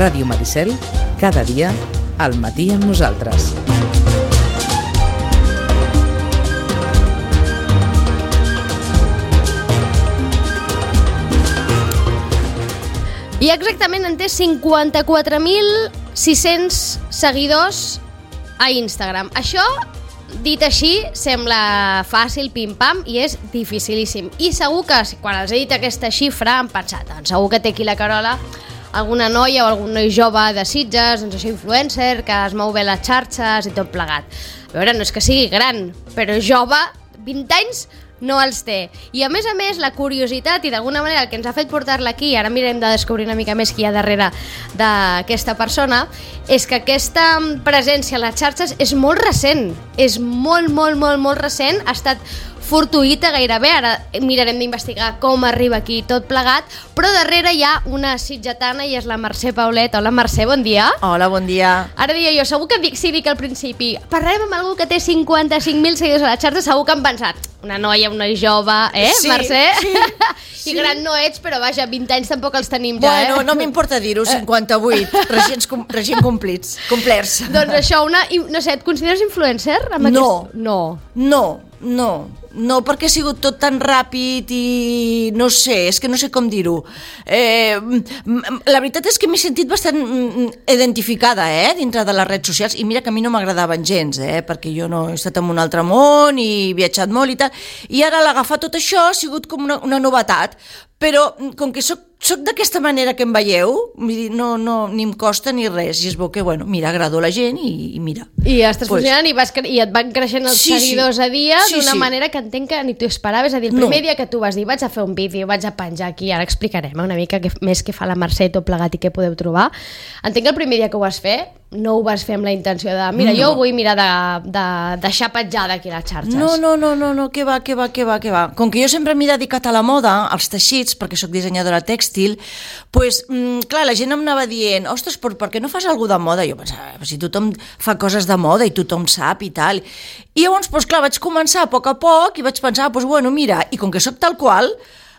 Ràdio Maricel, cada dia, al matí amb nosaltres. I exactament en té 54.600 seguidors a Instagram. Això, dit així, sembla fàcil, pim-pam, i és dificilíssim. I segur que, quan els he dit aquesta xifra, han pensat, doncs segur que té aquí la Carola alguna noia o algun noi jove de Sitges, doncs això, influencer, que es mou bé les xarxes i tot plegat. A veure, no és que sigui gran, però jove, 20 anys, no els té. I a més, la curiositat i d'alguna manera el que ens ha fet portar-la aquí, ara mirem de descobrir una mica més qui hi ha darrere d'aquesta persona, és que aquesta presència a les xarxes és molt recent, és molt recent, ha estat fortuïta gairebé, ara mirarem d'investigar com arriba aquí tot plegat, però darrere hi ha una sitgetana i és la Mercè Paulet. Hola Mercè, bon dia. Hola, bon dia. Ara deia jo, segur que dic al principi, parlarem amb algú que té 55.000 seguidors a la xarxa, segur que han pensat, una noia, un noi jove, sí, Mercè? Sí. I gran no ets, però vaja, 20 anys tampoc els tenim ja, Bueno, no m'importa dir-ho, 58, recién complerts. Doncs això, no sé, et consideres influencer? No, perquè ha sigut tot tan ràpid i no sé, és que no sé com dir-ho. La veritat és que m'he sentit bastant identificada dintre de les redes socials, i mira que a mi no m'agradaven gens, perquè jo no he estat en un altre món i he viatjat molt i tal, i ara l'agafar tot això ha sigut com una novetat, però com que soc d'aquesta manera que em veieu, no, ni em costa ni res, i és bo que, bueno, mira, agrado a la gent i mira. I estàs funcionant i et van creixent els seguidors a dia d'una manera que entenc que ni t'ho esperaves. És a dir, el primer dia que tu vas dir vaig a fer un vídeo, vaig a penjar aquí, ara explicarem una mica més què fa la Mercè tot plegat i què podeu trobar. Entenc que el primer dia que ho vas fer no ho vas fer amb la intenció de mira, jo ho vull mirar de deixar petjada aquí a les xarxes. No, què va. Com que jo sempre m'he dedicat a la moda, als teixits, perquè sóc dissenyadora tèxtil, doncs, clar, la gent em anava dient, ostres, per què no fas alguna de moda? Jo pensava, si tothom fa coses de moda i tothom sap i tal. I llavors, doncs, clar, vaig començar a poc i vaig pensar, doncs, bueno, mira, i com que sóc tal qual,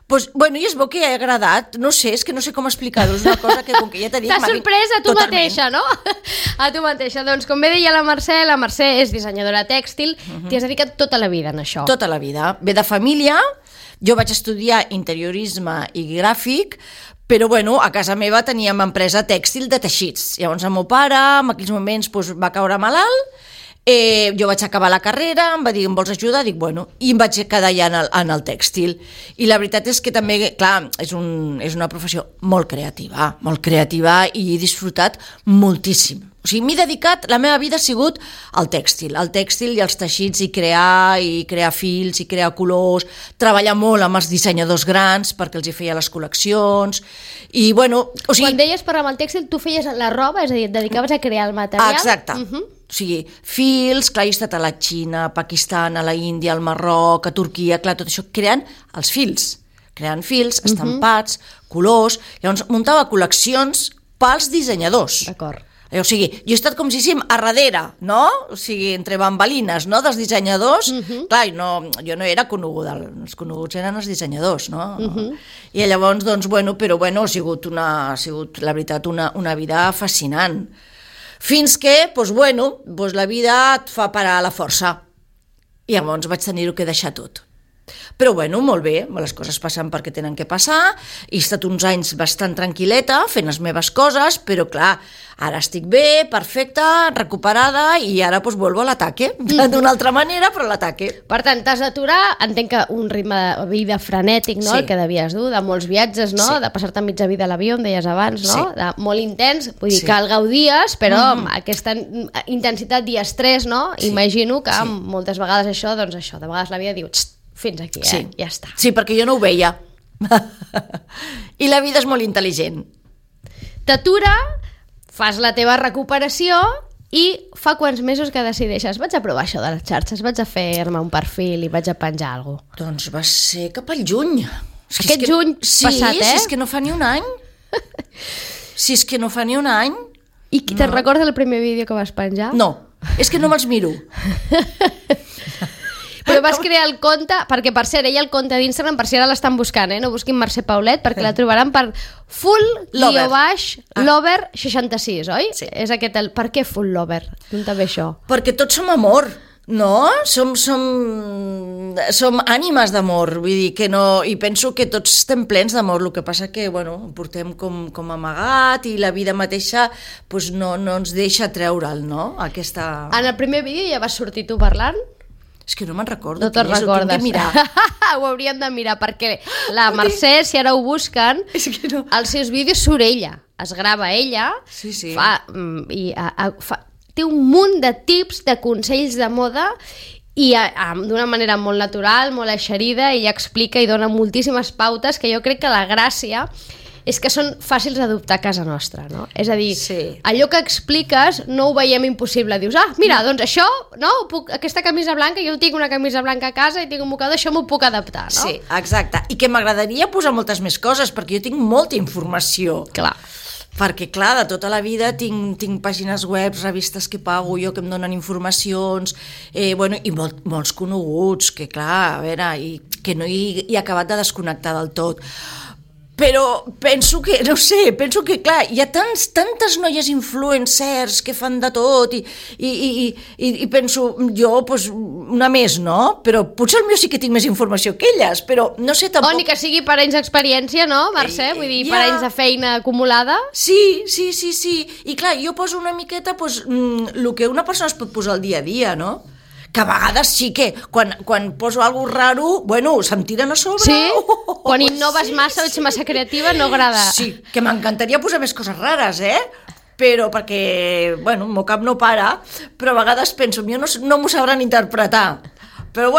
pues, bueno, i és bo que ha agradat, no sé, és que no sé com explicar-ho, és una cosa que com que ja t'he dit... T'ha sorprès a tu mateixa, no? A tu mateixa. Doncs com bé deia la Mercè és dissenyadora tèxtil, t'hi has dedicat tota la vida en això. Tota la vida. Ve de família, jo vaig estudiar interiorisme i gràfic, però bueno, a casa meva teníem empresa tèxtil de teixits. Llavors el meu pare en aquells moments va caure malalt, jo vaig acabar la carrera, em va dir, em vols ajudar? Dic, bueno, i em vaig quedar ja en el tèxtil. I la veritat és que també, clar, és una professió molt creativa i he disfrutat moltíssim. O sigui, m'he dedicat, la meva vida ha sigut al tèxtil i als teixits, i crear fils, i crear colors, treballar molt amb els dissenyadors grans perquè els hi feia les col·leccions, i bueno... O sigui, quan deies per amb el tèxtil, tu feies la roba, és a dir, et dedicaves a crear el material? Exacte. O sigui, fils, clar, he estat a la Xina, a Pakistan, a la Índia, al Marroc, a Turquia, clar, tot això, creant els fils, estampats, colors, llavors muntava col·leccions pels dissenyadors. D'acord. O sigui, jo he estat com si diguéssim a darrere, no? O sigui, entre bambalines, no?, dels dissenyadors. Clar, jo no era coneguda, els coneguts eren els dissenyadors, no? I llavors, doncs, bueno, però bueno, ha sigut la veritat, una vida fascinant. Fins que, doncs, bueno, la vida et fa parar la força. I llavors vaig tenir-ho que deixar tot. Però bueno, molt bé, les coses passen perquè tenen que passar, he estat uns anys bastant tranquil·leta fent les meves coses, però clar, ara estic bé, perfecta, recuperada, i ara doncs vuelvo a l'ataque, d'una altra manera, però a l'ataque. Per tant, t'has d'aturar, entenc que un ritme de vida frenètic, no?, el que devies dur, de molts viatges, no?, de passar-te mitja vida a l'avió, em deies abans, no?, de molt intens, vull dir que el gaudies, però amb aquesta intensitat i estrès, no?, imagino que moltes vegades això, doncs això, de vegades la vida diu, fins aquí, ja està. Sí, perquè jo no ho veia. I la vida és molt intel·ligent. T'atura, fas la teva recuperació i fa quants mesos que decideixes vaig a provar això de les xarxes, vaig a fer-me un perfil i vaig a penjar alguna cosa? Doncs va ser cap al juny. Aquest juny passat, Sí, és que no fa ni un any. I te'n recordes el primer vídeo que vas penjar? No, és que no me'ls miro. Però Jo vas crear el compte, perquè per cert, ella el compte d'Instagram, per si ara l'estan buscant, no busquin Mercè Paulet, perquè la trobaran per full_lover66, oi? Sí. És aquest el... Per què full lover? D'on te ve això? Perquè tots som amor, no? Som ànimes d'amor, vull dir que no... I penso que tots estem plens d'amor, el que passa que, bueno, ho portem com amagat i la vida mateixa pues, no ens deixa treure'l, no? Aquesta... En el primer vídeo ja vas sortir tu parlant? És que no me'n recordo. No te'n recordes. Ho hauríem de mirar, perquè la Mercè, si ara ho busquen, no. als seus vídeos surt ella, es grava ella, sí. té un munt de tips, de consells de moda, i d'una manera molt natural, molt eixerida, ella explica i dona moltíssimes pautes, que jo crec que la gràcia és que són fàcils d'adoptar a casa nostra, no? És a dir, allò que expliques no ho veiem impossible. Dius, mira, doncs això, no? Aquesta camisa blanca, jo tinc una camisa blanca a casa i tinc un mocador, això m'ho puc adaptar, no? Sí, exacte. I que m'agradaria posar moltes més coses, perquè jo tinc molta informació. Clar. Perquè, clar, de tota la vida tinc pàgines web, revistes que pago jo, que em donen informacions, i molts coneguts, que clar, a veure, i que no he acabat de desconnectar del tot. Però penso que, no sé, clar, hi ha tantes noies influencers que fan de tot i penso, jo, doncs, una més, no? Però potser el meu sí que tinc més informació que elles, però no sé tampoc... O ni que sigui per anys d'experiència, no, Mercè? Vull dir, per anys de feina acumulada. Sí. I clar, jo poso una miqueta el que una persona es pot posar al dia a dia, no? Que a vegades sí que, quan poso alguna cosa raro, se'm tiren a sobre. Sí? Quan innoves massa, ets massa creativa, no agrada. Sí, que m'encantaria posar més coses rares, però perquè, el meu cap no para, però a vegades penso, jo no m'ho sabran interpretar. Però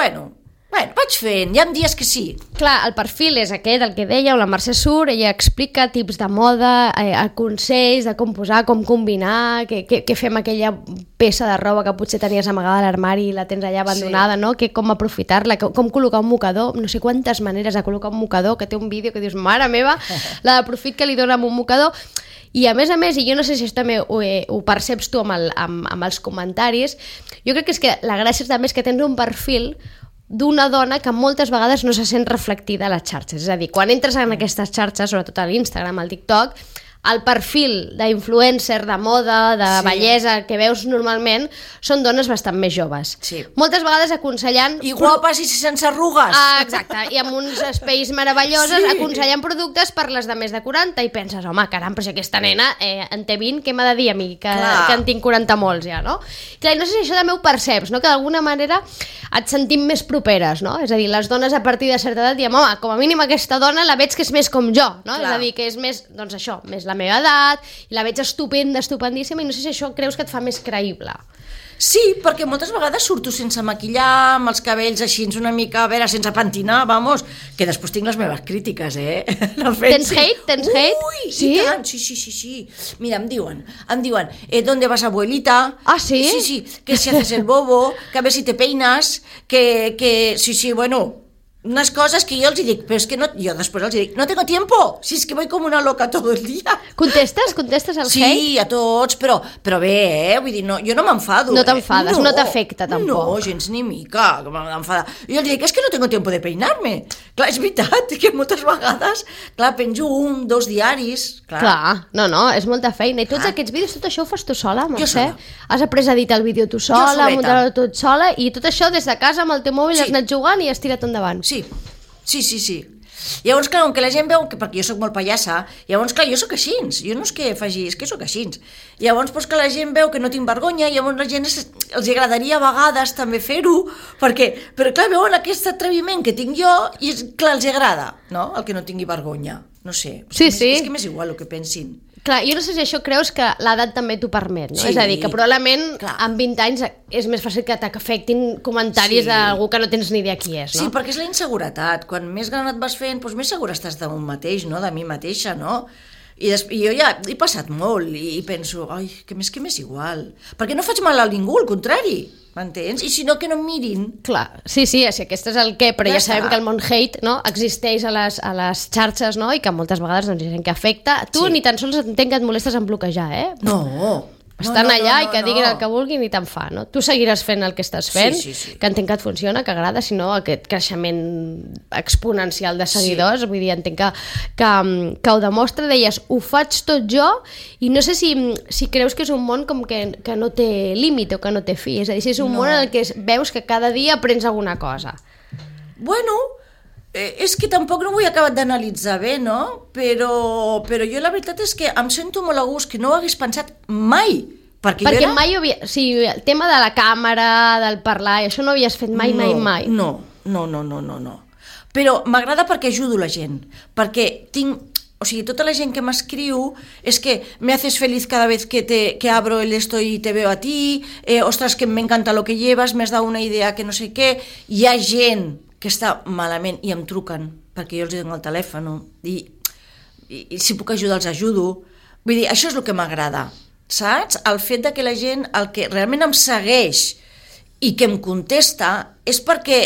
vaig fent, hi ha dies que sí. Clar, el perfil és aquest, el que dèieu, la Mercè surt, ella explica tips de moda, consells de com posar, com combinar, que fem aquella peça de roba que potser tenies amagada a l'armari i la tens allà abandonada, no? Que com aprofitar-la, com col·locar un mocador, no sé quantes maneres de col·locar un mocador, que té un vídeo que dius, mare meva, la de profit que li dona amb un mocador. I a més, i jo no sé si això també ho perceps tu amb els comentaris, jo crec que és que la gràcia també és que tens un perfil d'una dona que moltes vegades no se sent reflectida a les xarxes. És a dir, quan entres en aquestes xarxes, sobretot a l'Instagram, al TikTok, el perfil d'influencer, de moda, de bellesa que veus normalment són dones bastant més joves. Sí. Moltes vegades aconsellant... I guapes i sense arrugues. Exacte, i amb uns espais meravelloses aconsellant productes per les de més de 40 i penses, home, caram, però si aquesta nena en té 20, què m'ha de dir a mi, que en tinc 40 molts ja, no? Clar, no sé si això també ho perceps, no? Que d'alguna manera et sentim més properes, no? És a dir, les dones a partir de certa edat diem, home, com a mínim aquesta dona la veig que és més com jo, no? És a dir, que és més, doncs això, més la meva edat, i la veig estupenda, estupendíssima, i no sé si això creus que et fa més creïble. Sí, perquè moltes vegades surto sense maquillar, amb els cabells així una mica, a veure, sense pentinar, vamos, que després tinc les meves crítiques, No tens hate? Tens hate? Ui, sí? I tant, sí. Mira, em diuen, ¿dónde vas, abuelita? Ah, sí? Sí, que si haces el bobo, que a ver si te peinas, que sí, unas cosas que yo els dic, però és que no, jo després els dic, no tengo tiempo, si es que voy como una loca todo el día. Contestes al hate? Sí, a tots, però bé, vull dir, no, jo no m'enfado. No t'enfades, no t'afecta tampoc. No, gens ni mica, que m'enfada. Jo els dic, és que no tengo tiempo de peinarme. Clar, és veritat, que moltes vegades, clar, penjo 1, 2 diaris. Clar, no, és molta feina. I tots aquests vídeos, tot això ho fas tu sola, Mercè? Jo sola. Has après a editar el vídeo tu sola, muntar-ho tot sola, i tot això des de casa amb el teu mòbil has anat jugant i has tirat endavant. Sí. Llavors, clar, com que la gent veu que, perquè jo sóc molt pallassa, llavors, clar, jo sóc així, jo no és que faci, és que sóc així. Llavors, doncs, que la gent veu que no tinc vergonya, llavors la gent els agradaria a vegades també fer-ho, però clar, veuen aquest atreviment que tinc jo i, clar, els agrada, no?, el que no tingui vergonya, no sé. Sí. És que m'és igual el que pensin. Clar, jo no sé si això creus que l'edat també t'ho permet, no? Sí, és a dir, que probablement clar. amb 20 anys és més fàcil que t'afectin comentaris d'algú que no tens ni idea qui és, no? Sí, perquè és la inseguretat. Quan més gran et vas fent, doncs més segura estàs de un mateix, no?, de mi mateixa, no? I jo ja he passat molt i penso, ai, que m'és igual. Perquè no faig mal a ningú, al contrari, m'entens? I si no, que no em mirin. Clar, sí, aquest és el què, però ja sabem que el món hate, no?, existeix a les xarxes, no?, i que moltes vegades doncs, hi ha gent que afecta. Tu ni tan sols entenc que et molestes en bloquejar, No, Estan allà i que diguin el que vulguin i te'n fa, no? Tu seguiràs fent el que estàs fent, Sí. que entenc que et funciona, que agrada, si no aquest creixement exponencial de seguidors, vull dir, entenc que ho demostra, deies, ho faig tot jo, i no sé si creus que és un món com que no té límit o que no té fi, és a dir, si és un món en el que veus que cada dia aprens alguna cosa. Bueno, és que tampoc no ho he acabat d'analitzar bé, no? Però jo la veritat és que em sento molt a gust, que no ho hagués pensat mai. Perquè mai o sigui, el tema de la càmera, del parlar, i això no ho havies fet mai. No. Però m'agrada perquè ajudo la gent, perquè o sigui, tota la gent que m'escriu és que me haces feliz cada vez que abro el esto y te veo a ti, ostras, que me encanta lo que llevas, me has dado una idea que no sé què. Hi ha gent que està malament i em truquen perquè jo els dono el telèfon i si puc ajudar els ajudo. Vull dir, això és el que m'agrada, saps? El fet de que la gent, el que realment em segueix i que em contesta és perquè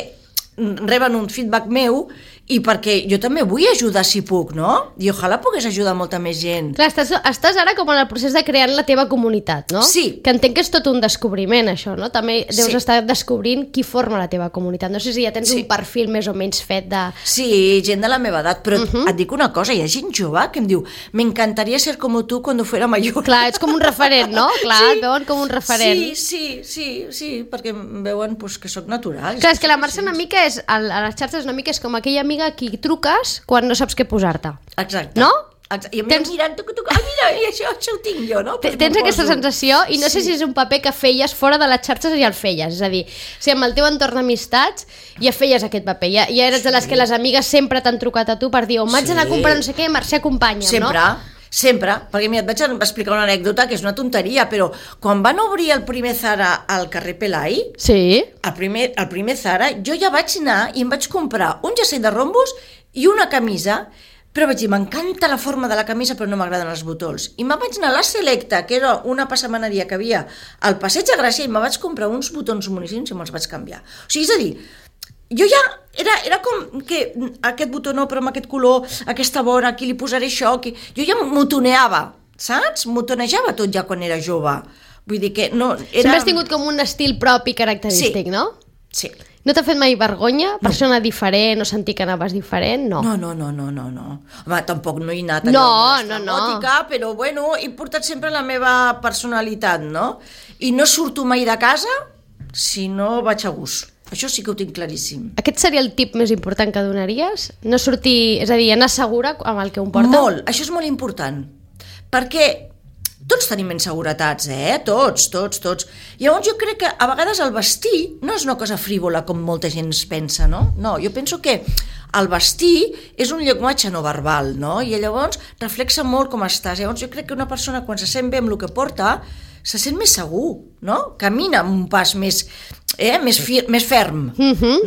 reben un feedback meu i perquè jo també vull ajudar si puc, no? I ojalà pogués ajudar molta més gent. Clar, estàs ara com en el procés de crear la teva comunitat, no? Sí. Que entenc que és tot un descobriment, això, no? També deus estar descobrint qui forma la teva comunitat. No sé si ja tens un perfil més o menys fet de... Sí, gent de la meva edat, però et dic una cosa, hi ha gent jove que em diu m'encantaría ser como tú cuando fuera mayor. Clar, ets com un referent, no? Clar, et veuen com un referent. Sí, perquè em veuen pues, que sóc natural. Clar, és que la Mercè una mica és, a les xarxes una mica és com aquella amiga a qui truques quan no saps què posar-te. Exacte. No? I em mirant, mira, això ho tinc jo, no? Tens aquesta sensació i no sé si és un paper que feies fora de les xarxes i el feies, és a dir, si amb el teu entorn d'amistats ja feies aquest paper, ja eres de les que les amigues sempre t'han trucat a tu per dir vaig anar a comprar no sé què, Mercè acompanya'm, no? Sempre, perquè mira, et vaig explicar una anècdota que és una tonteria, però quan van obrir el primer Zara al carrer Pelai, el primer Zara, jo ja vaig anar i em vaig comprar un jersei de rombos i una camisa, però vaig dir, m'encanta la forma de la camisa però no m'agraden els botons. I me'n vaig anar a la Selecta, que era una passamaneria que havia al Passeig de Gràcia, i me vaig comprar uns botons moníssims i me'ls vaig canviar. O sigui, és a dir, jo ja era com que aquest botó no, però amb aquest color, aquesta vora, aquí li posaré això, aquí... Jo ja motoneava, saps? Motonejava tot ja quan era jove. Vull dir que no... Sempre has tingut com un estil propi característic, no? Sí. No t'ha fet mai vergonya? Persona diferent o sentir que anaves diferent? No. No. Home, tampoc no he anat no. Però bueno, he portat sempre la meva personalitat, no? I no surto mai de casa si no vaig a gust. Això sí que ho tinc claríssim. Aquest seria el tip més important que donaries? No sortir, és a dir, anar segura amb el que un porta? Molt, això és molt important. Perquè tots tenim inseguretats, Tots. Llavors jo crec que a vegades el vestir no és una cosa frívola com molta gent es pensa, no? No, jo penso que el vestir és un llenguatge no verbal, no? I llavors reflexa molt com estàs. Llavors jo crec que una persona quan se sent bé amb el que porta se sent més segur, no? Camina amb un pas més ferm,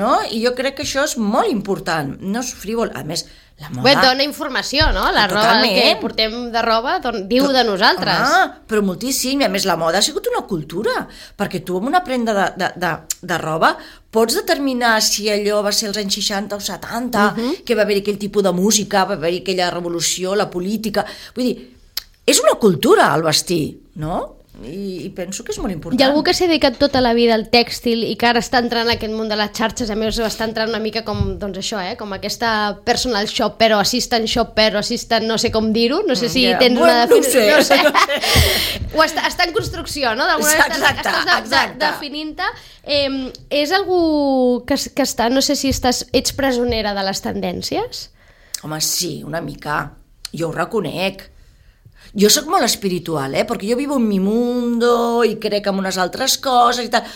no? I jo crec que això és molt important, no és frívol. A més, la moda... Bé, dona informació, no? La roba, el que portem de roba diu de nosaltres. Però moltíssim, i a més la moda ha sigut una cultura, perquè tu amb una prenda de roba pots determinar si allò va ser als anys 60 o 70, que va haver-hi aquell tipus de música, va haver-hi aquella revolució, la política... Vull dir, és una cultura el vestir, no? I penso que és molt important. Hi ha algú que s'ha dedicat tota la vida al tèxtil i que ara està entrant en aquest món de les xarxes, a més està entrant una mica com, doncs això, com aquesta personal shopper o assistant shopper o assistant, no sé com dir-ho, no sé si tens una definició. No sé. O està en construcció, no? D'alguna manera estàs definint-te. És algú que està, no sé si ets presonera de les tendències? Home, sí, una mica. Jo ho reconec. Jo sóc molt espiritual, perquè jo vivo en mi mundo i crec en unes altres coses i tal,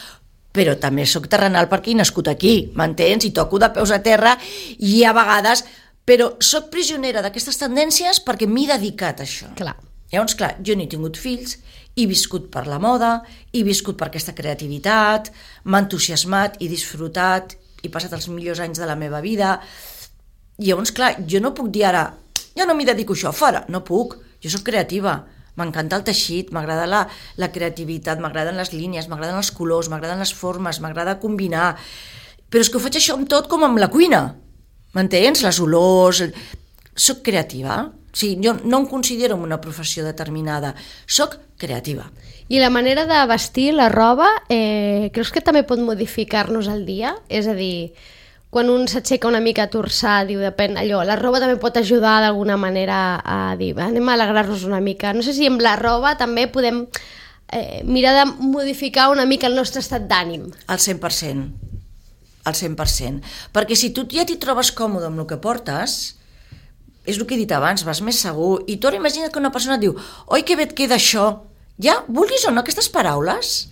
però també sóc terrenal perquè he nascut aquí, m'entens? I toco de peus a terra i a vegades... Però sóc prisionera d'aquestes tendències perquè m'he dedicat a això. Clar. Llavors, clar, jo no he tingut fills, he viscut per la moda, he viscut per aquesta creativitat, m'ha entusiasmat, he disfrutat, he passat els millors anys de la meva vida. Llavors, clar, jo no puc dir ara, jo no m'hi dedico a això, fora, no puc. Jo soc creativa, m'encanta el teixit, m'agrada la creativitat, m'agraden les línies, m'agraden els colors, m'agraden les formes, m'agrada combinar. Però és que ho faig això amb tot com amb la cuina, m'entens? Les olors... soc creativa. O sigui, jo no em considero una professió determinada, soc creativa. I la manera de vestir la roba, creus que també pot modificar-nos el dia? És a dir, quan un s'aixeca una mica torçar, diu, depèn, allò, la roba també pot ajudar d'alguna manera a dir, anem a alegrar-nos una mica. No sé si amb la roba també podem mirar de modificar una mica el nostre estat d'ànim. Al 100%. Al 100%. Perquè si tu ja t'hi trobes còmode amb el que portes, és el que he dit abans, vas més segur. I tu ara imagina't que una persona et diu, oi, que bé et queda això. Ja, vulguis o no, aquestes paraules,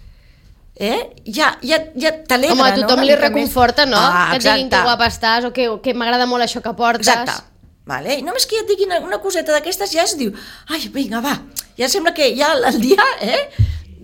ja t'alegra, home, a tothom li reconforta, no? Que et diguin que guapa estàs o que m'agrada molt això que portes. Exacte. Vale? I només que ja et diguin una coseta d'aquestes ja es diu, ai, vinga, va, ja sembla que ja el dia,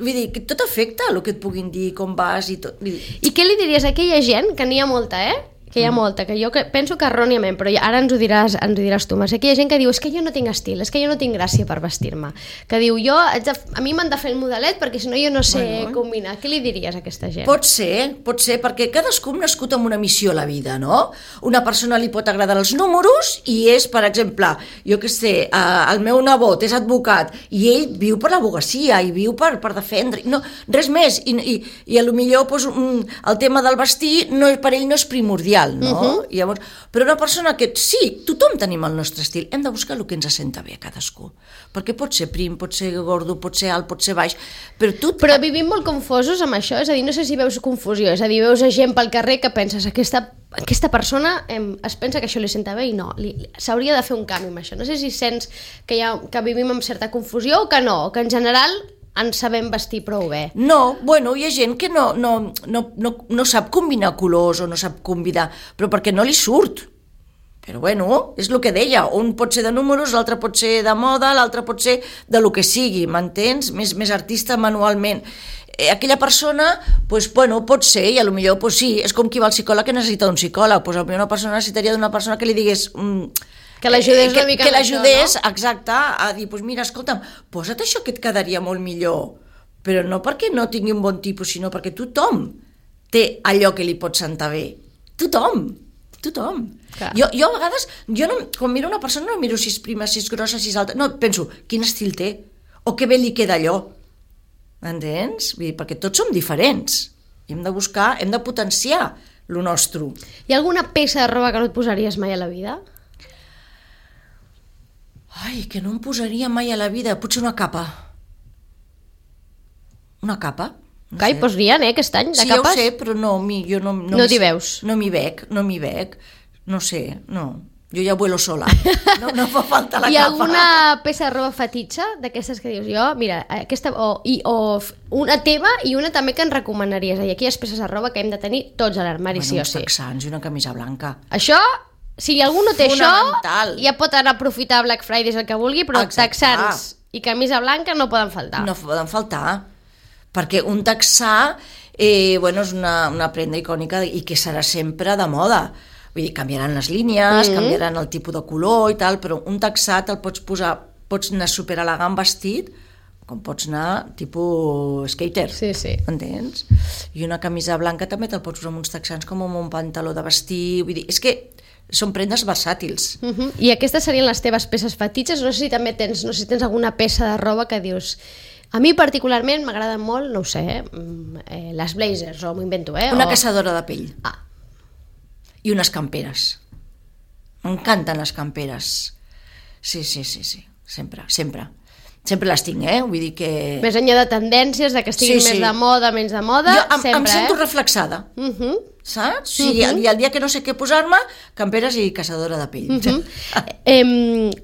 vull dir, que tot afecta el que et puguin dir, com vas i tot. I què li diries a aquella gent, que n'hi ha molta, que hi ha molta, que jo penso que erròniament, però ara ens ho diràs tu, Mercè, que hi ha gent que diu, és que jo no tinc estil, és que jo no tinc gràcia per vestir-me, que diu, a mi m'han de fer el modelet perquè si no jo no sé combinar. Què li diries a aquesta gent? Pot ser, perquè cadascú ha nascut amb una missió a la vida, no? Una persona li pot agradar els números i és, per exemple, jo què sé, el meu nebot és advocat i ell viu per l'advocacia i viu per defendre, no, res més, i a lo millor el tema del vestir per ell no és primordial, no? Llavors, però una persona que sí, tothom tenim el nostre estil, hem de buscar el que ens senta bé a cadascú, perquè pot ser prim, pot ser gordo, pot ser alt, pot ser baix, però vivim molt confosos amb això, és a dir, no sé si veus confusió, és a dir, veus gent pel carrer que penses, aquesta persona es pensa que això li senta bé i no, s'hauria de fer un canvi amb això. No sé si sents que vivim amb certa confusió o que no, o que en general ens sabem vestir prou bé. No, bueno, hi ha gent que no sap combinar colors o no sap combinar, però perquè no li surt. Però bueno, és el que deia, un pot ser de números, l'altre pot ser de moda, l'altre pot ser de lo que sigui, m'entens? Més artista manualment. Aquella persona, pot ser, i potser sí, és com qui va al psicòleg que necessita un psicòleg, potser una persona necessitaria d'una persona que li digués... que l'ajudés una mica que l'ajudés, no? Exacte, a dir, mira, escolta'm, posa't això que et quedaria molt millor, però no perquè no tingui un bon tipus, sinó perquè tothom té allò que li pot sentar bé. Tothom. Clar. Jo a vegades, quan miro una persona no miro si és prima, si és grossa, si és alta, no, penso, quin estil té, o que bé li queda allò. Entens? Vull dir, perquè tots som diferents. I hem de buscar, hem de potenciar lo nostre. Hi ha alguna peça de roba que no et posaries mai a la vida? Ai, que no em posaria mai a la vida. Potser una capa. Una capa? Hi posarien, aquest any, de capes? Sí, ja ho sé, però jo no... No t'hi veus? No m'hi veig. No sé, no. Jo ja vuelo sola. No fa falta la capa. Hi ha alguna peça de roba fetitxa d'aquestes que dius jo? Mira, aquesta... O una teva i una també que ens recomanaries. Hi ha aquelles peces de roba que hem de tenir tots a l'armari, sí o sí. Uns texans i una camisa blanca. Això... Si algú no té això, ja pot anar a aprofitar Black Friday, el que vulgui, però texans i camisa blanca no poden faltar. No poden faltar, perquè un texà és una prenda icònica i que serà sempre de moda. Vull dir, canviaran les línies, canviaran el tipus de color i tal, però un texà te'l pots posar, pots anar superelegant vestit, com pots anar tipus skater. Sí. Entens? I una camisa blanca també te'l pots posar amb uns texans com amb un pantaló de vestir, vull dir, és que són prendes versàtils. I aquestes serien les teves peces fetitxes? No sé si també tens alguna peça de roba que dius... A mi particularment m'agraden molt, no ho sé, les blazers, o m'ho invento, Una caçadora de pell. I unes camperes. M'encanten les camperes. Sí, sempre. Sempre les tinc, vull dir que... Més enllà de tendències, de que estiguin més de moda, menys de moda, sempre, em sento reflexada. Saps? I el dia que no sé què posar-me, camperes i caçadora de pell.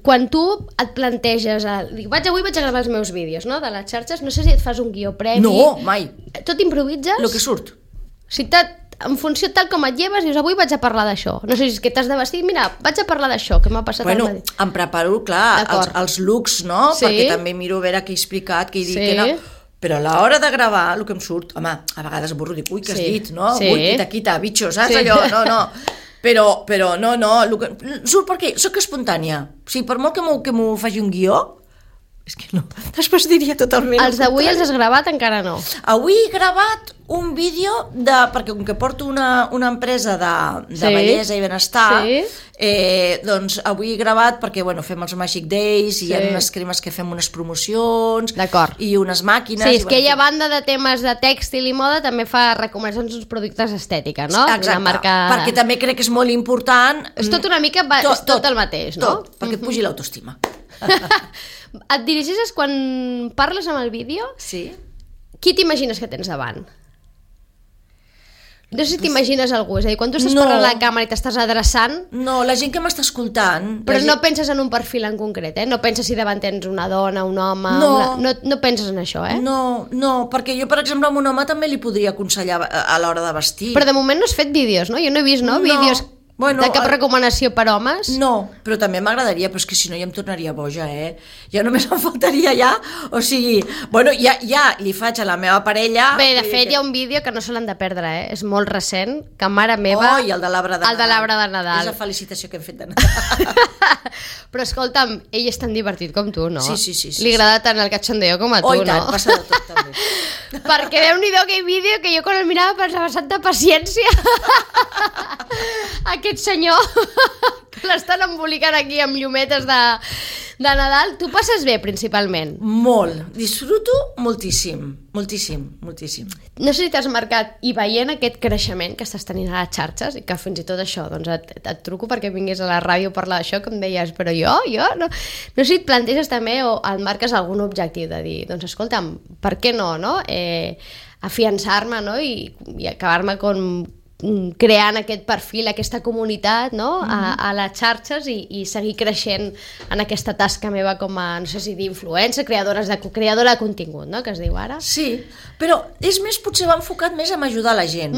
Quan tu et planteges avui vaig a gravar els meus vídeos, no?, de les xarxes, no sé si et fas un guió previ. No, mai. Tot improvises? Lo que surt. Si en funció tal com et lleves, dius, avui vaig a parlar d'això. No sé si és que t'has de vestir, mira, vaig a parlar d'això, que m'ha passat al matí. Em preparo, clar, els looks, no? Sí. Perquè també miro a veure què he explicat, què he dit, què no... Però a l'hora de gravar, el que em surt, home, a vegades burro, dic, ui, què has dit, no? Ui, quita, bitxo, saps allò? No. Però no, surt perquè soc espontània. O sigui, per molt que m'ho faci un guió, És que no, després diria totalment... Els d'avui els has gravat? Encara no. Avui he gravat un vídeo perquè com que porto una empresa de bellesa i benestar, doncs avui he gravat perquè fem els Magic Days i hi ha unes cremes que fem unes promocions i unes màquines. Sí, és que ella, a banda de temes de tèxtil i moda, també fa recomanacions d'uns productes estètica, no? Exacte, perquè també crec que és molt important... És tot una mica, és tot el mateix, no? Tot, perquè et pugi l'autoestima. Et dirigeixes quan parles amb el vídeo? Sí. Qui t'imagines que tens davant? No sé si t'imagines algú, és a dir, quan tu estàs parlant a la càmera i t'estàs adreçant... No, la gent que m'està escoltant... Però no penses en un perfil en concret, No penses si davant tens una dona, un home... No penses en això, No, perquè jo, per exemple, a un home també li podria aconsellar a l'hora de vestir. Però de moment no has fet vídeos, no? Jo no he vist, vídeos... de cap recomanació per homes? No, però també m'agradaria, però és que si no ja em tornaria boja, Ja només em faltaria ja, o sigui, ja li faig a la meva parella... Bé, de fet, hi ha un vídeo que no se l'han de perdre, És molt recent, que mare meva... I el de l'arbre de Nadal. El de l'arbre de Nadal. És la felicitació que hem fet de Nadal. Però escolta'm, ell és tan divertit com tu, no? Sí. Li agrada tant el cachondeo com a tu, no? I tant, passa de tot, també. Perquè Déu-n'hi-do aquell vídeo que jo quan el mirava pensava, santa paciència. Aquest senyor que l'estan embolicant aquí amb llumetes de Nadal. Tu passes bé, principalment? Molt. Disfruto moltíssim. No sé si t'has marcat i veient aquest creixement que estàs tenint a les xarxes i que fins i tot això, doncs et truco perquè vingués a la ràdio a parlar d'això, que em deies, però jo no sé si et planteges també o et marques algun objectiu de dir, doncs escolta'm, per què no? Afiançar-me, i acabar-me creant aquest perfil, aquesta comunitat, a les xarxes i seguir creixent en aquesta tasca meva com a, no sé si dir influencer, creadora de contingut, que es diu ara. Sí, però és més, potser va enfocat més en ajudar la gent.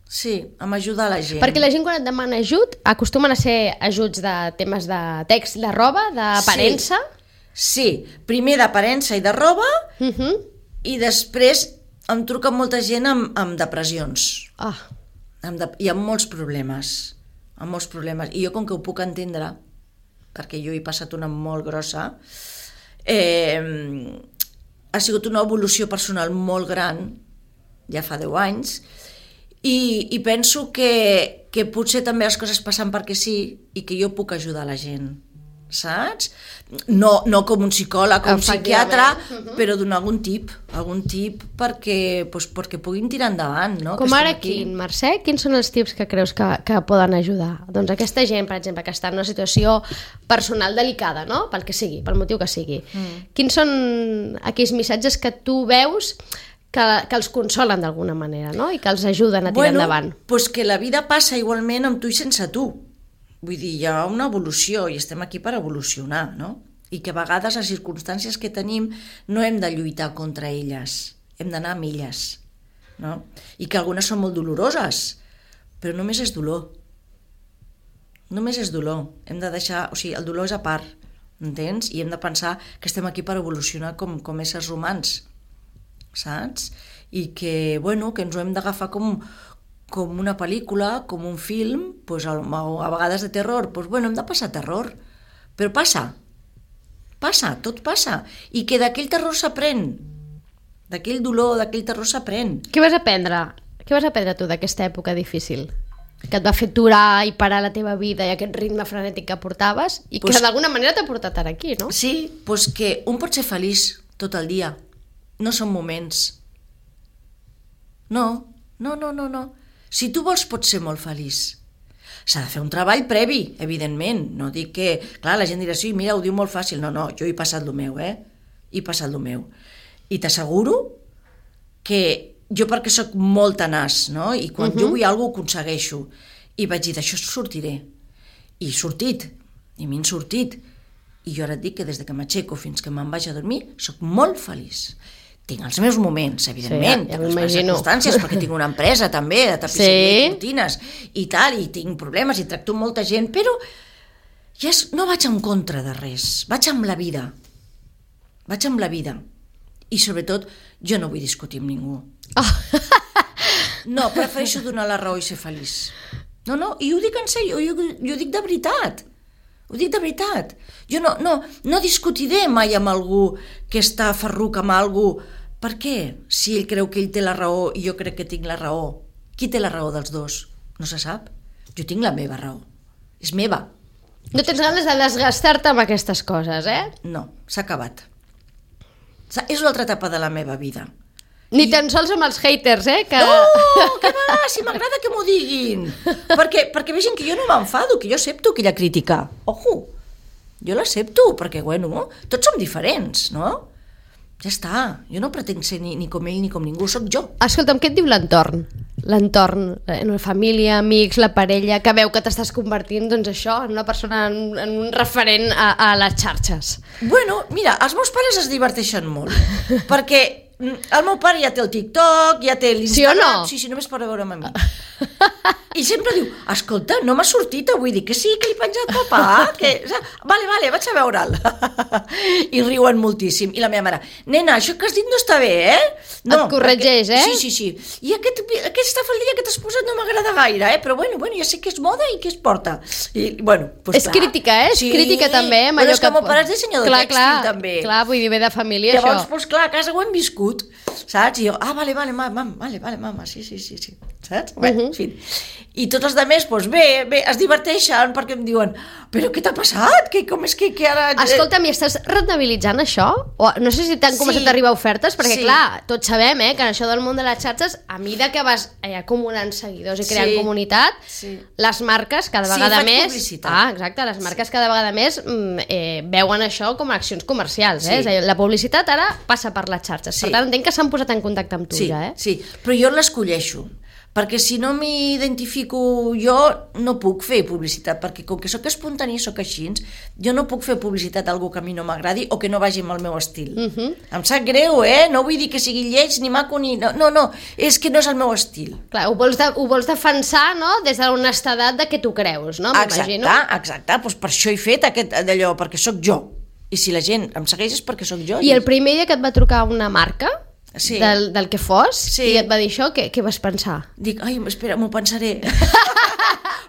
Sí, en ajudar la gent. Perquè la gent quan et demana ajut, acostumen a ser ajuts de temes de text, de roba, d'aparença? Sí, primer d'aparença i de roba, i després em truca molta gent amb depressions. I amb molts problemes. I jo, com que ho puc entendre, perquè jo he passat una molt grossa, ha sigut una evolució personal molt gran, ja fa 10 anys, i penso que potser també les coses passen perquè sí i que jo puc ajudar la gent. Saps? No com un psicòleg o un psiquiatre, però donar algun tip perquè puguin tirar endavant, no? Com ara quin, Mercè? Quins són els tips que creus que poden ajudar? Doncs aquesta gent, per exemple, que està en una situació personal delicada, no? Pel que sigui, pel motiu que sigui. Quins són aquells missatges que tu veus que els consolen d'alguna manera, no? I que els ajuden a tirar endavant? Doncs que la vida passa igualment amb tu i sense tu. Vull dir, hi ha una evolució i estem aquí per evolucionar, no? I que a vegades les circumstàncies que tenim no hem de lluitar contra elles, hem d'anar a milles, no? I que algunes són molt doloroses, però només és dolor. Només és dolor. Hem de deixar... O sigui, el dolor és a part, entens? I hem de pensar que estem aquí per evolucionar com éssers humans, saps? I que, que ens ho hem d'agafar com una pel·lícula, com un film, doncs a vegades de terror, doncs hem de passar terror, però passa, tot passa, i que d'aquell terror s'aprèn, d'aquell dolor, d'aquell terror s'aprèn. Què vas aprendre tu d'aquesta època difícil? Que et va fer aturar i parar la teva vida i aquest ritme frenètic que portaves i que d'alguna manera t'ha portat ara aquí, no? Sí, doncs que un pot ser feliç tot el dia, no són moments. No. Si tu vols, pots ser molt feliç. S'ha de fer un treball previ, evidentment. No dic que... Clar, la gent dirà, sí, mira, ho diu molt fàcil. No, jo he passat el meu, He passat el meu. I t'asseguro que jo, perquè sóc molt tenaç, no? I quan jo vull alguna cosa, ho aconsegueixo. I vaig dir, d'això sortiré. I he sortit. I m'he sortit. I jo ara et dic que des que m'aixeco fins que me'n vaig a dormir, sóc molt feliç. Tinc els meus moments, evidentment, tinc les meves circumstàncies, perquè tinc una empresa també de tapisseria i cortines i tal, i tinc problemes i tracto molta gent, però ja no vaig en contra de res, vaig amb la vida. I sobretot, jo no vull discutir amb ningú. No, prefereixo donar la raó i ser feliç. No, i ho dic en sèrio, jo ho dic de veritat. Ho dic de veritat. Jo no discutiré mai amb algú que està ferruc amb algú. Per què? Si ell creu que ell té la raó i jo crec que tinc la raó. Qui té la raó dels dos? No se sap. Jo tinc la meva raó. És meva. No tens ganes de desgastar-te amb aquestes coses, No, s'ha acabat. És una altra etapa de la meva vida. Ni tan sols amb els haters, que... No, que va, si m'agrada que m'ho diguin. Perquè vegin que jo no m'enfado, que jo accepto aquella crítica. Ojo, jo l'accepto, perquè, bueno, tots som diferents, no? Ja està, jo no pretenc ser ni com ell ni com ningú, sóc jo. Escolta'm, què et diu l'entorn? L'entorn, la família, amics, la parella, que veu que t'estàs convertint, doncs això, en una persona, en un referent a les xarxes. Bueno, mira, els meus pares es diverteixen molt, perquè el meu pare ja té el TikTok, ja té l'Instagram... Sí o no? Sí, només per veure'm a mi. I sempre diu, escolta, no m'ha sortit avui, dic que sí, que li he penjat papà, que... Vale, vaig a veure'l. I riuen moltíssim. I la meva mare, nena, això que has dit no està bé, No, et corregeix, Sí. I aquesta faldilla que t'has posat no m'agrada gaire, però bueno, ja sé que és moda i que es porta. I, bueno, pues és clar. Crítica, és crítica també. Però és que el meu pare és dissenyador tèxtil, també. Clar, vull dir, ve de família, llavors, això. Doncs clar, a casa ho hem viscut, saps? I jo, vale, mama, sí, saps? Bé, en fi. I tots els altres, doncs bé, es diverteixen perquè em diuen, però què t'ha passat? Com és que ara... Escolta'm, i estàs rendibilitzant això? O, no sé si t'han començat a arribar ofertes, perquè clar, tots sabem que en això del món de les xarxes, a mida que vas acumulant seguidors i creant comunitat, les marques cada vegada més... publicitat. Exacte, les marques cada vegada més veuen això com a accions comercials. És a dir, la publicitat ara passa per les xarxes. Per tant, entenc que s'han posat en contacte amb tu ja. Sí, però jo l'escolleixo. Perquè si no m'identifico jo, no puc fer publicitat, perquè com que sóc espontani, sóc així, jo no puc fer publicitat a algú que a mi no m'agradi o que no vagi amb el meu estil. Em sap greu, no vull dir que sigui lleig ni maco ni... No, és que no és el meu estil. Clar, ho vols defensar, no?, des d'honestedat de què tu creus, no? M'imagino. Exacte, doncs per això he fet d'allò, perquè sóc jo. I si la gent em segueix és perquè sóc jo. I el primer dia que et va trucar una marca... Sí. Del que fos, i et va dir això, què vas pensar? Dic, espera, m'ho pensaré.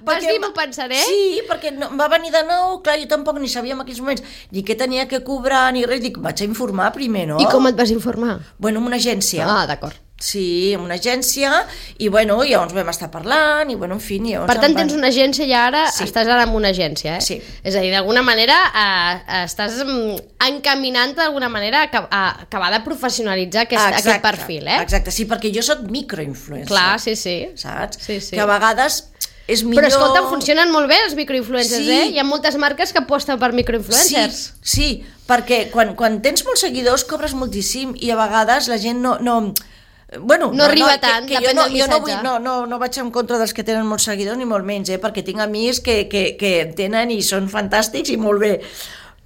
Vas dir m'ho pensaré? Sí, perquè va venir de nou, clar, jo tampoc ni sabia en aquells moments ni què tenia que cobrar ni res, dic, vaig a informar primer, no? I com et vas informar? Bueno, en una agència. D'acord. Sí, en una agència, i bueno, llavors vam estar parlant, i bueno, en fi... Per tant, tens una agència i ara estàs ara en una agència, Sí. És a dir, d'alguna manera estàs encaminant d'alguna manera a acabar de professionalitzar aquest perfil, Exacte, sí, perquè jo soc microinfluencer. Clar, sí. Saps? Sí. Que a vegades és millor... Però escolta, funcionen molt bé els microinfluencers, Hi ha moltes marques que aposten per microinfluencers. Sí, perquè quan tens molts seguidors cobres moltíssim i a vegades la gent no arriba tant, depèn del missatge. Jo no vaig en contra dels que tenen molts seguidors ni molt menys, perquè tinc amics que tenen i són fantàstics i molt bé.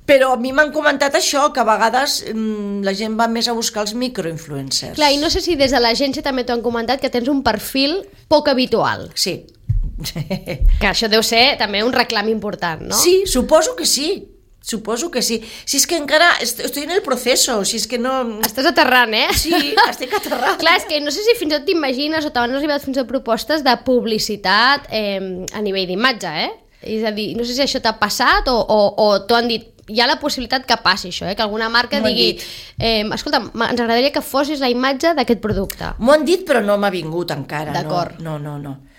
Però a mi m'han comentat això, que a vegades la gent va més a buscar els microinfluencers. Clar, i no sé si des de l'agència també t'ho han comentat, que tens un perfil poc habitual. Sí. Que això deu ser també un reclam important, no? Sí, suposo que sí. Si és que encara estoy en el proceso, si és que no... Estàs aterrant, Sí, estic aterrant. Clar, és que no sé si fins i tot t'imagines o t'han arribat fins a propostes de publicitat a nivell d'imatge, És a dir, no sé si això t'ha passat o t'ho han dit, hi ha la possibilitat que passi això, que alguna marca digui escolta, ens agradaria que fossis la imatge d'aquest producte. M'ho han dit però no m'ha vingut encara. D'acord. No.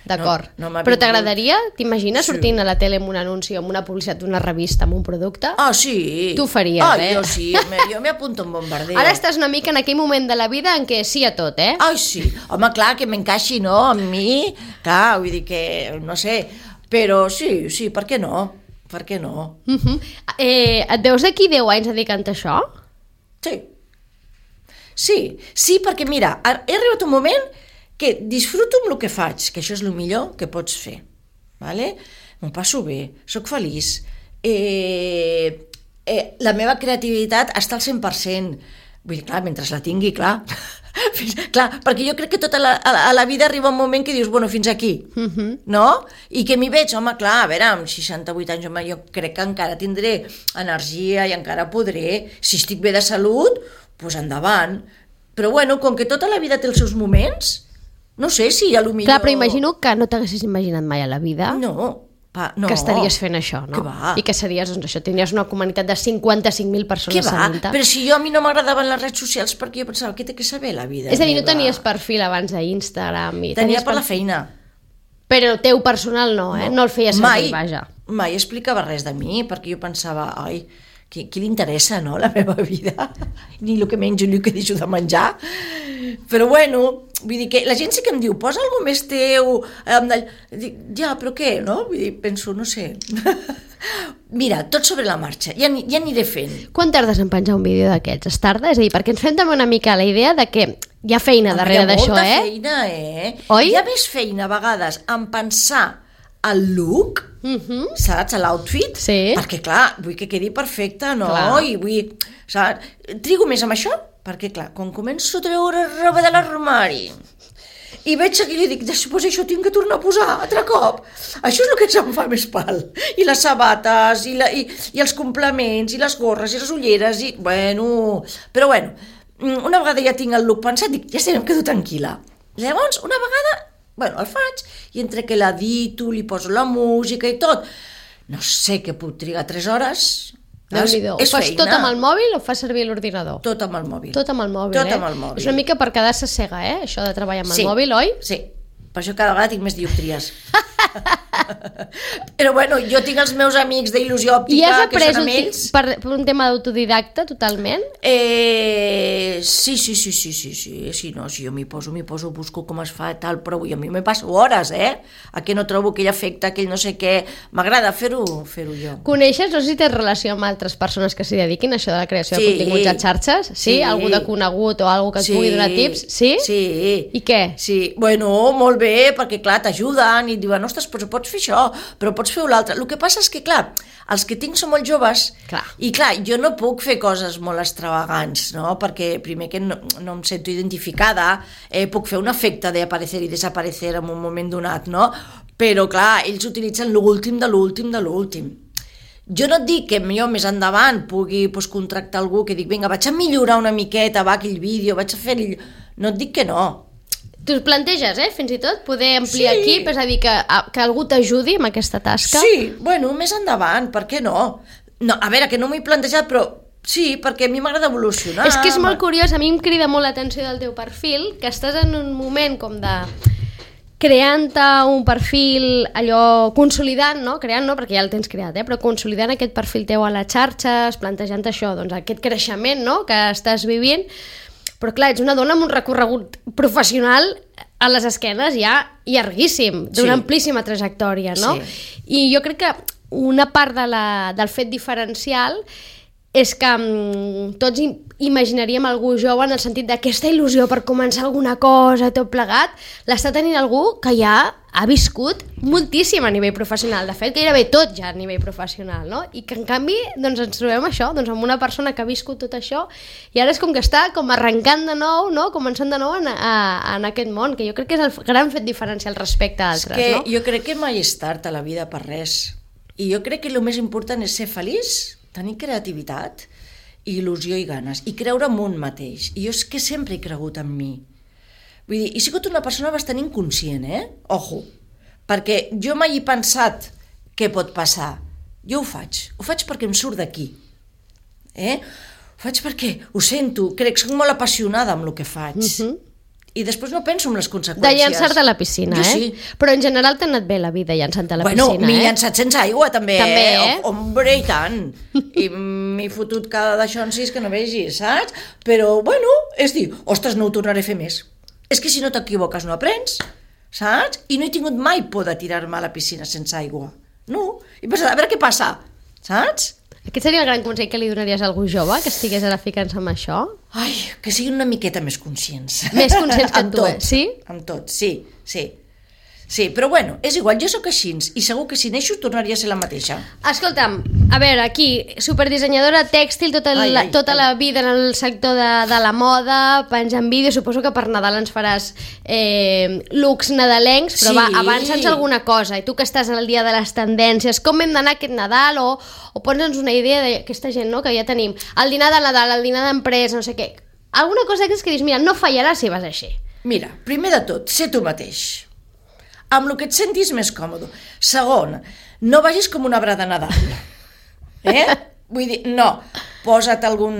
D'acord. No m'ha però vingut. t'agradaria? T'imagines sortint a la tele amb un anunci o amb una publicitat d'una revista amb un producte? Sí. Tu ho faries, Jo sí, jo m'apunto en bombardeo. Ara estàs una mica en aquell moment de la vida en què sí a tot, Sí. Home, clar, que m'encaixi, no? Amb mi, clar, vull dir que, no sé, però sí, per què no? Per què no? Et veus d'aquí 10 anys dedicant a això? Sí, perquè mira, he arribat un moment que disfruto amb el que faig, que això és el millor que pots fer, vale? M'ho passo bé, sóc feliç, la meva creativitat està al 100%, vull dir, clar, mentre la tingui, clar, perquè jo crec que tota la vida arriba un moment que dius, bueno, fins aquí, no? I que m'hi veig, home, clar, a veure, amb 68 anys, home, jo crec que encara tindré energia i encara podré, si estic bé de salut, doncs endavant. Però bueno, com que tota la vida té els seus moments, no sé si a lo millor... Clar, però imagino que no t'haguessis imaginat mai a la vida. No, No. que estaries fent això, no? Què va? I que series, doncs això, tindries una comunitat de 55.000 persones Què va? seguint-te. Però si a mi no m'agradaven les redes socials perquè jo pensava, què té que saber la vida És a dir, no meva? tenies perfil abans d'Instagram. Tenia per la feina. Però el teu personal no, no el feies servir, vaja. Mai explicava res de mi, perquè jo pensava, ai, qui li interessa, no?, la meva vida? Ni el que menjo ni el que deixo de menjar. Però bueno, vull dir que la gent sí que em diu, posa alguna més teu. Dic, ja, però què, no? Vull dir, penso, no sé. Mira, tot sobre la marxa, ja aniré fent. Quan tardes en penjar un vídeo d'aquests? Es tarda? És a dir, perquè ens fem també una mica la idea de que hi ha feina darrere d'això, Hi ha molta feina, Oi? Hi ha més feina a vegades en pensar el look, saps, l'outfit, Sí. perquè clar, vull que quedi perfecte, no? Clar. I vull, saps, trigo més amb això, perquè clar, quan començo a treure roba de l'armari i veig aquí i dic, després això tinc que tornar a posar altre cop, això és el que em fa més pal, i les sabates i els complements i les gorres i les ulleres i, però bueno, una vegada ja tinc el look pensat, dic, ja sé, em quedo tranquil·la. Llavors, una vegada el faig i entre que l'edito, li poso la música i tot, no sé què puc trigar 3 hores. Déu-n'hi-do. Ho fas tot amb el mòbil o fas servir l'ordinador? Tot amb el mòbil. Tot amb el mòbil, Tot amb el mòbil. És una mica per quedar-se cega, això de treballar amb el mòbil, oi? Sí, per això cada vegada tinc més dioptries. Però bueno, jo tinc els meus amics d'il·lusió òptica, I has que après són amb ells. per un tema d'autodidacta, totalment? Sí, no, si jo m'hi poso, busco com es fa, tal, però a mi me passo hores, a que no trobo aquell efecte, aquell no sé què, m'agrada fer-ho jo. Coneixes, no sé si tens relació amb altres persones que s'hi dediquin a això de la creació de continguts a xarxes? Sí? Algú de conegut o algú que et pugui donar tips? Sí? Sí. I què? Sí, molt bé, perquè clar, t'ajuden i et diuen, ostres, però pots fer això, però pots fer l'altre. El que passa és que, clar, els que tinc són molt joves i clar, jo no puc fer coses molt extravagants, no? Perquè primer que no em sento identificada, puc fer un efecte d'aparecer i desaparecer en un moment donat, no? Però clar, ells utilitzen l'últim de l'últim de l'últim. Jo no et dic que jo més endavant pugui contractar algú que dic, vinga, vaig a millorar una miqueta, aquell vídeo, vaig a fer... No et dic que no. Tu es planteges, fins i tot, poder ampliar equip, és a dir, que algú t'ajudi amb aquesta tasca? Sí, més endavant, per què no? No, a veure, que no m'ho he plantejat, però sí, perquè a mi m'agrada evolucionar. És que és molt curiós, a mi em crida molt l'atenció del teu perfil, que estàs en un moment com de creant-te un perfil, allò, consolidant, no? Creant no, perquè ja el tens creat, però consolidant aquest perfil teu a les xarxes, plantejant això, doncs aquest creixement, no?, que estàs vivint. Però clar, ets una dona amb un recorregut professional a les esquenes ja llarguíssim, d'una amplíssima trajectòria, no? Sí. I jo crec que una part del fet diferencial és que tots imaginaríem algú jove en el sentit d'aquesta il·lusió per començar alguna cosa, tot plegat, l'està tenint algú que ja ha viscut moltíssim a nivell professional, de fet gairebé tot ja a nivell professional, no? I que en canvi doncs, ens trobem això, doncs, amb una persona que ha viscut tot això i ara és com que està com arrencant de nou, no? Començant de nou en aquest món, que jo crec que és el gran fet diferencial respecte a altres, no? Jo crec que mai és tard a la vida per res, i jo crec que el més important és ser feliç, tenir creativitat, il·lusió i ganes, i creure en un mateix. I jo és que sempre he cregut en mi. Vull dir, he sigut una persona bastant inconscient, Ojo, perquè jo mai he pensat què pot passar. Jo ho faig perquè em surt d'aquí. Ho faig perquè ho sento, crec que soc molt apassionada amb el que faig. I després no penso en les conseqüències. De llançar-te a la piscina, Jo sí. Però en general t'ha anat bé la vida llançant-te a la piscina, Bueno, m'he llançat sense aigua, també, També, Hombre, i tant. I m'he fotut cada d'això en 6 que no vegis, saps? Però, bueno, és dir, ostres, no ho tornaré a fer més. És que si no t'equivoques no aprens, saps? I no he tingut mai por de tirar-me a la piscina sense aigua. No. I pensat, a veure què passa, saps? Aquest seria el gran consell que li donaries a algú jove que estigués ara ficant-se amb això? Ai, que siguin una miqueta més conscients. Més conscients que tu, sí? Amb tot, sí. Sí, però bueno, és igual, jo sóc així i segur que si neixo tornaria a ser la mateixa. Escolta'm, a veure, aquí, superdissenyadora tèxtil, tota la vida en el sector de la moda, penjant vídeos, suposo que per Nadal ens faràs looks nadalencs, però va, avança'ns alguna cosa, i tu que estàs al dia de les tendències, com hem d'anar aquest Nadal, o posa'ns una idea d'aquesta gent, no?, que ja tenim, el dinar de Nadal, el dinar d'empresa, no sé què, alguna cosa que dius, mira, no fallarà si vas així. Mira, primer de tot, sé tu mateix. amb el que et sentis més còmode. Segon, no vagis com un arbre de Nadal. Vull dir, no, posa't algun...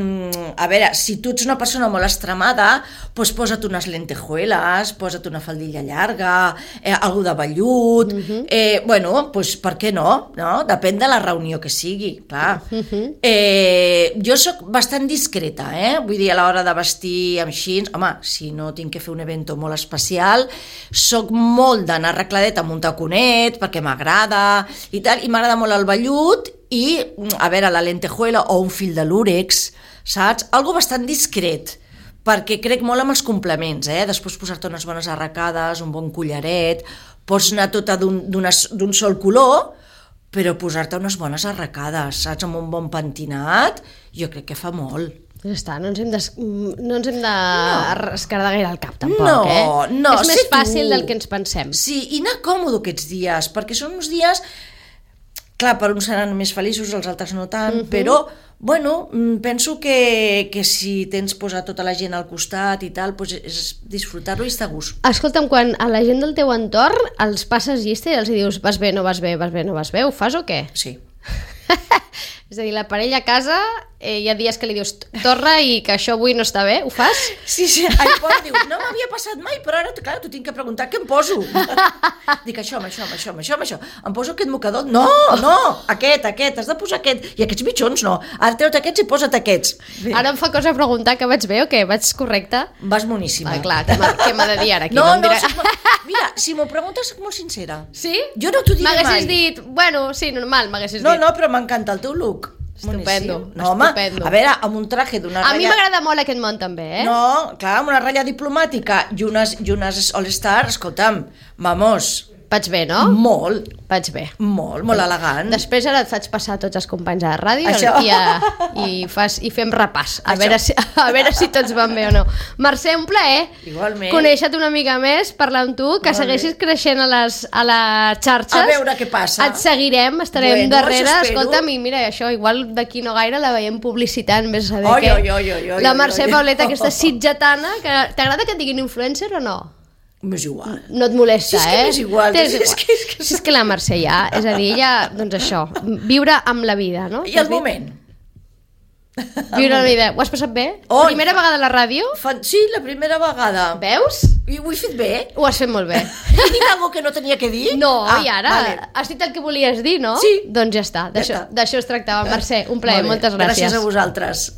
A veure, si tu ets una persona molt extremada, doncs posa't unes lentejueles, posa't una faldilla llarga, algú de vellut... Bueno, doncs per què no? Depèn de la reunió que sigui, clar. Jo sóc bastant discreta, vull dir, a l'hora de vestir amb jeans... Home, si no tinc que fer un evento molt especial, sóc molt d'anar arregladeta amb un taconet, perquè m'agrada i tal, i m'agrada molt el vellut, i, a veure, la lentejuela o un fil de l'úrex, saps? Algo bastant discret, perquè crec molt amb els complements, Després posar-te unes bones arracades, un bon collaret, pots anar tota d'un sol color, però posar-te unes bones arracades, saps? Amb un bon pentinat, jo crec que fa molt. Ja està, no ens hem de escardar gaire el cap, tampoc, No, és més fàcil del que ens pensem. Sí, i anar còmode aquests dies, perquè són uns dies... Clar, per uns seran més feliços, els altres no tant, però, bueno, penso que si tens posat tota la gent al costat i tal, doncs és disfrutar-lo i estar a gust. Escolta'm, quan a la gent del teu entorn els passes llista i els dius vas bé, no vas bé, vas bé, no vas bé, ho fas o què? Sí. És a dir, la parella a casa, hi ha dies que li dius torna i que això avui no està bé, ho fas? Sí, diu, no m'havia passat mai, però ara, clar, t'ho tinc que preguntar, què em poso? Dic això. Em poso aquest mocador? No, aquest, has de posar aquest. I aquests mitjons no. Ara treut aquests i posa't aquests. Bé. Ara em fa cosa preguntar que vaig bé o què? Vaig correcte? Vas boníssima. Clar, què m'ha de dir ara aquí? Mira, si m'ho preguntes, soc molt sincera. Sí? Jo no t'ho diré mai. M'haguessis dit, bueno, sí, normal, m'haguessis dit. No, però m'encanta el teu look. Estupendo. No, home, a veure, amb un traje d'una ratlla... A mi m'agrada molt aquest món també, No, clar, amb una ratlla diplomàtica i unes All-Star, escolta'm, vamos... Vaig bé, no? Molt. Vaig bé. Molt elegant. Després ara et faig passar tots els companys a la ràdio i fem repàs, a veure si tots van bé o no. Mercè, un plaer. Igualment. Conèixer-te una mica més, parlar amb tu, que segueixis creixent a les xarxes. A veure què passa. Et seguirem, estarem darrere. Escolta'm, i mira, això, igual d'aquí no gaire la veiem publicitant, vés a saber què. La Mercè Pauleta, aquesta sitgetana, t'agrada que et diguin influencer o no? M'és igual. No et molesta, Si és igual. Si és que la Mercè ja, és a dir, ella, doncs això, viure amb la vida, no? I el moment. Viure la vida. Ho has passat bé? Primera vegada a la ràdio? Sí, la primera vegada. Veus? I ho he fet bé. Ho has fet molt bé. He dit alguna que no tenia que dir? No, i ara? Vale. Has dit el que volies dir, no? Sí. Doncs ja està, d'això es tractava. Mercè, un plaer, moltes gràcies. Gràcies a vosaltres.